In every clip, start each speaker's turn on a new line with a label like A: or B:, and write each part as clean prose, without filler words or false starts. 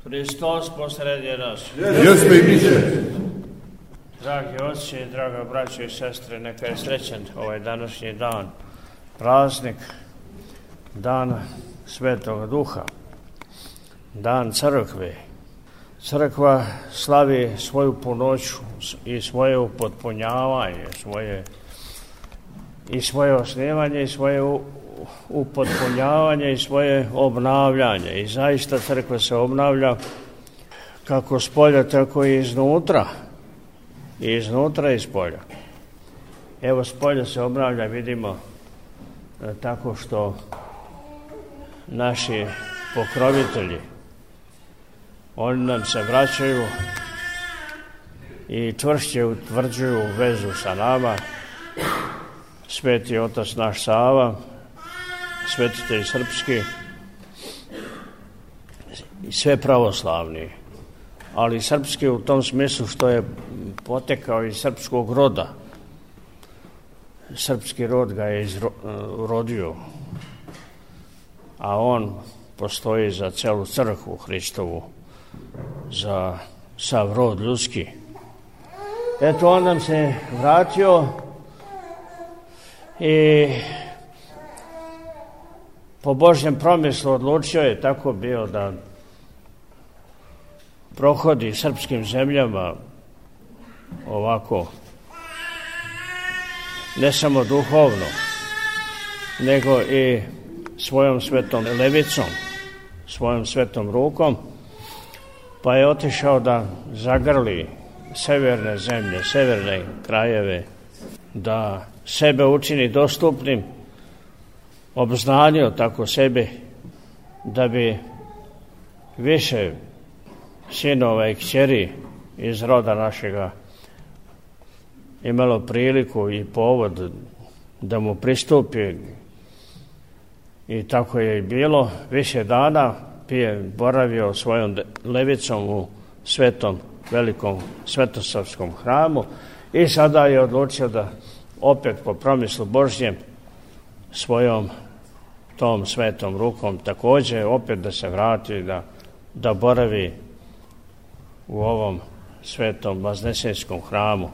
A: Hristos posredje nas.
B: Jeste i biće.
A: Dragi oci, draga braćo i sestre, neka je srećan ovaj današnji dan, praznik, dan Svetog Duha, dan crkve. Crkva slavi svoju punoću i svoje upotpunjavanje, svoje osnivanje i svoje upotpunjavanje i svoje obnavljanje. I zaista crkva se obnavlja kako spolja, tako i iznutra. I iznutra i spolja. Evo, spolja se obnavlja, vidimo, tako što naši pokrovitelji, oni nam se vraćaju i čvršće utvrđuju vezu sa nama. Sveti otac naš Sava, svetitelj srpski i sve pravoslavni, ali srpski u tom smislu što je potekao iz srpskog roda. Srpski rod ga je rodio, a on postoji za celu crkvu Hristovu, za sav rod ljudski. Eto, on nam se vratio i po Božjem promislu odlučio je tako bio da prohodi srpskim zemljama ovako, ne samo duhovno, nego i svojom svetom levicom, svojom svetom rukom, pa je otišao da zagrli severne zemlje, severne krajeve, da sebe učini dostupnim, obznanio tako sebe da bi više sinova i kćeri iz roda našega imalo priliku i povod da mu pristupi. I tako je i bilo. Više dana je boravio svojom levicom u svetom, velikom svetosavskom hramu i sada je odlučio da opet po promislu Božjem svojom tom svetom rukom također opet da se vrati, da boravi u ovom svetom Vaznesenskom hramu.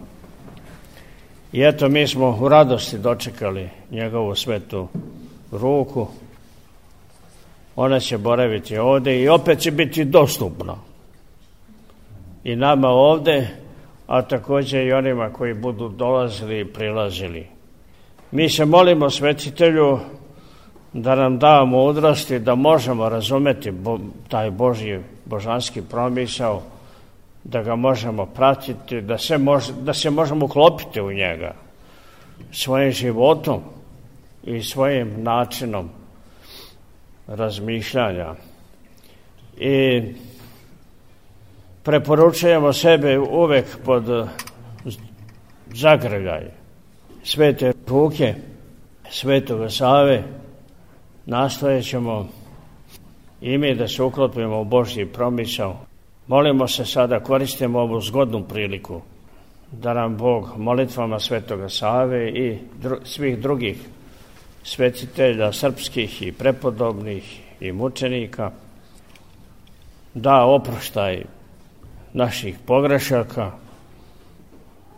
A: I eto, mi smo u radosti dočekali njegovu svetu ruku. Ona će boraviti ovdje i opet će biti dostupna i nama ovdje, a također i onima koji budu dolazili i prilazili. Mi se molimo svetitelju da nam da mudrosti, da možemo razumeti taj božanski promisao, da ga možemo pratiti, da se možemo uklopiti u njega svojim životom i svojim načinom razmišljanja. I preporučujemo sebe uvek pod zagrljaj svete ruke Svetoga Save. Nastojećemo i mi da se uklopimo u Božji promisao. Molimo se sada, koristimo ovu zgodnu priliku da nam Bog molitvama Svetoga Save i svih drugih svetitelja srpskih i prepodobnih i mučenika da oproštaj naših pogrešaka,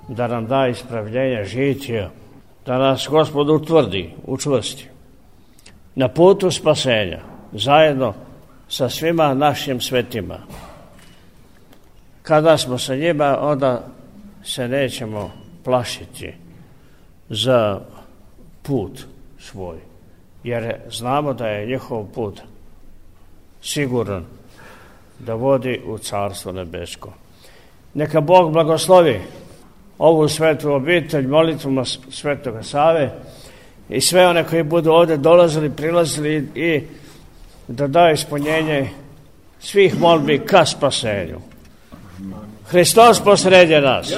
A: da nam da ispravljenje žitija, da nas Gospod utvrdi, učvrsti na putu spasenja, zajedno sa svima našim svetima. Kada smo sa njima, onda se nećemo plašiti za put svoj, jer znamo da je njihov put siguran da vodi u Carstvo nebesko. Neka Bog blagoslovi ovu svetu obitelj molitvama Svetoga Save i sve one koji budu ovdje dolazili, prilazili i da da ispunjenje svih molbi ka spasenju. Hristos posredje nas.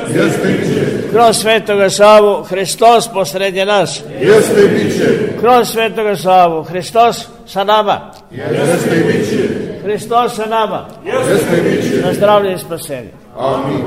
A: Kroz Svetoga Savu Hristos posredje nas. Kroz Svetoga Savu Hristos sa nama. Hristos sa nama. Na zdravlje i spasenje.
B: Amin.